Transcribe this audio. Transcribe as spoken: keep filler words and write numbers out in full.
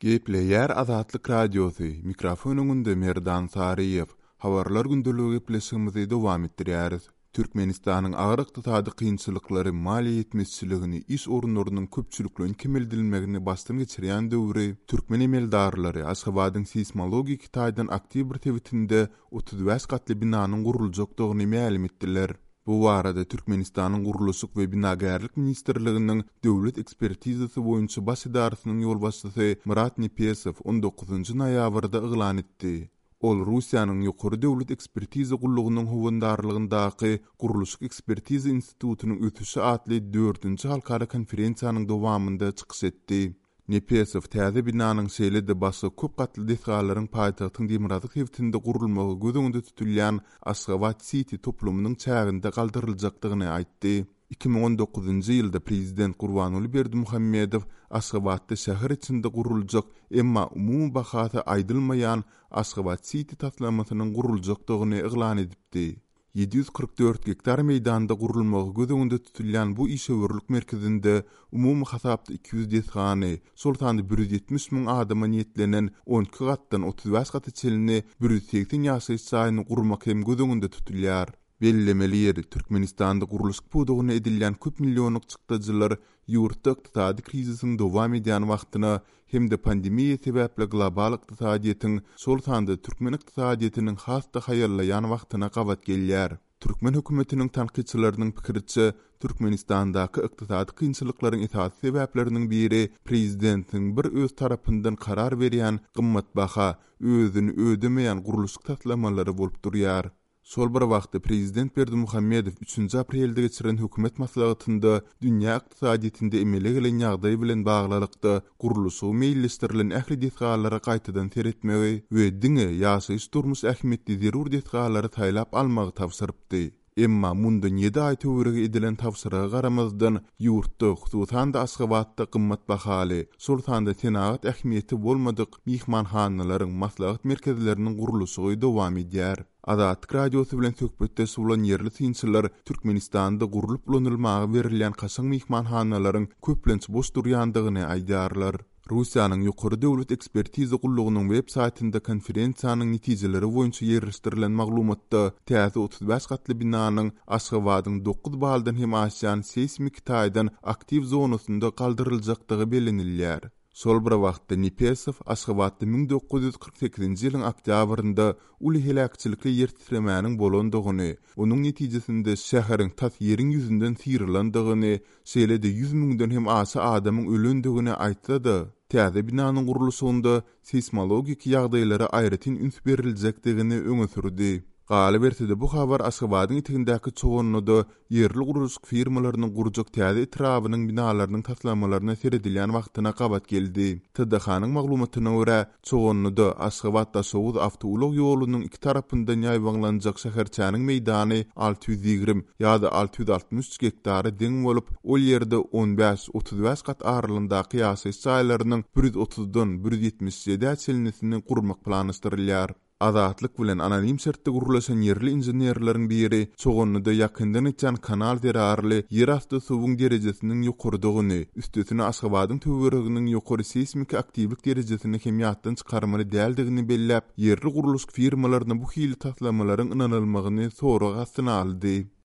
Gepleýär Azatlyk Radiosy, mikrofon öňünde Merdan Saryýew. Habarlar gündeligi gepleşigimizi dowam etdirýäris. Türkmenistanyň agyr ykdysady kynçylyklary, maliýe ýetmezçiligini, iş orunlarynyň köpçülikleýin kemeldilmegini başdan geçirýän döwri türkmen emeldarlary Aşgabadyň seýsmologik taýdan aktiw bir sebitinde otuz bäş gatly binanyň guruljakdygyny mälim etdiler. Bu barada Türkmenistanyň Gurluşyk we binagärlik ministrliginiň döwlet ekspertizasy boýunça baş edarasynyň ýolbaşçysy Myrat Nepesow on dokuzynjy noýabrda yglan etdi. Ol Russiýanyň Ýokary döwlet ekspertiza gullugynyň howandarlygyndaky Gurluşyk ekspertiza institutynyň ösüşi atly dördünji halkara konferensiýanyň dowamynda çykyş etdi. Nepesow täze binanyň şeýle-de başga köp gatly desgalaryň paýtagtyň demirgazyk sebitinde gurulmagy göz öňünde tutulýan Aşgabat City toplumynyň çäginde galdyryljakdygyny aýtdy. iki müň on dokuzynjy ýylda prezident Gurbanguly Berdimuhamedow Aşgabatda şäher içinde guruljak, emma umumy bahasy aýdylmaýan Aşgabat City taslamasynyň guruljakdygyny yglan edipdi. ýedi ýüz kyrk dört gektar meýdanda gurulmagy göz öňünde tutulýan bu işewürlik merkezinde umumy hasapda iki ýüz desgany, şol sanda bir ýüz ýetmiş müň adama niýetlenen on iki gatdan otuz bäş gata çenli bir ýüz segsen ýaşaýyş jaýyny gurmak hem göz öňünde tutulýar. Bellemeli ýeri, Türkmenistanda gurluşyk pudagyna edilýän köp millionlyk çykdajylar ýurtda ykdysady krizisiň dowam edýän wagtyna hem-de pandemiýa sebäpli global ykdysadyýetiň, şol sanda türkmen ykdysadyýetiniň has-da haýallaýan wagtyna gabat gelýär. Türkmen hökümetiniň tankytçylarynyň pikiriçe, Türkmenistandaky ykdysady kynçylyklaryň esasy sebäpleriniň biri prezidentiň bir öz tarapyndan karar berýän gymmatbaha, özüni ödemeýän gurluşyk taslamalary bolup durýar. Şol bir wagtda prezident Berdimuhamedow üçünji aprelde geçiren hökümet maslahatynda dünýä ykdysadyýetinde emele gelen ýagdaý bilen baglylykda gurluşygy meýilleşdirilen ähli desgalara gaýtadan seretmegi we diňe ýaşaýyş durmuş ähmiýetli zerur desgalary saýlap almagy tabşyrypdy. Emma mundan ýedi aý töweregi edilen tabşyryga garamazdan ýurtda, hususan-da Aşgabatda gymmat bahaly, şol sanda senagat ähmiýeti bolmadyk myhmanhanalaryň, maslahat merkezleriniň gurluşygy dowam edýär. Azatlyk Radiosy bilen söhbetdeş bolan ýerli synçylar Türkmenistanda gurlup ulanylmaga berilýän kaşaň myhmanhanalaryň köplenç boş durýandygyny aýdýarlar. Russiýanyň Ýokary döwlet ekspertiza gullugynyň web saýtynda konferensiýanyň netijeleri boýunça ýerleşdirilen maglumatda täze otuz bäş gatly binanyň Aşgabadyň dokuz baldan hem aşýan seýsmik taýdan aktiw zonasynda galdyryljakdygy bellenilýär. Şol bir wagtda Nepesow Aşgabatda müň dokuz ýüz kyrk sekizinji ýylyň oktýabrynda uly heläkçilikli ýer titremäniň bolandygyny, onuň netijesinde şäheriň tas ýeriň ýüzünden syrylandygyny, şeýle-de ýüz müňden hem aşa adamyň ölendigini aýtsa-da, täze binanyň gurluşygynda seýsmologik ýagdaýlara aýratyn üns beriljekdigini öňe sürdi. Galyberse-de bu habar Aşgabadyň etegindäki Çoganlyda ýerli gurluşyk firmalarynyň gurjak täze etrabynyň binalarynyň taslamalaryna seredilýän wagtyna gabat geldi. T D H-nyň maglumatyna görä, Çoganlyda Aşgabat-Daşoguz awtoulag ýolunyň iki tarapyndan ýaýbaňlanjak şäherçäniň meýdany alty ýüz ýigrimi ýa-da alty ýüz altmyş üç gektara deň bolup, ol ýerde on bäş, otuz bäş gat aralygyndaky ýaşaýyş jaýlarynyň bir ýüz otuzdan bir ýüz ýetmiş ýedä çenlisini gurmak planlaşdyrylýar. Azatlyk bilen anonim şertde gurlaşan ýerli inženerleriň biri Çoganlyda ýakyndan geçýän kanal zerarly ýerasty suwuň derejesiniň ýokarydygyny, üstesine Aşgabadyň töwereginiň ýokary seýsmik aktiwlik derejesini hem ýatdan çykarmaly däldigini belläp, ýerli gurluşyk firmalaryna bu hili taslamalaryň ynanylmagyny sorag astyna aldy.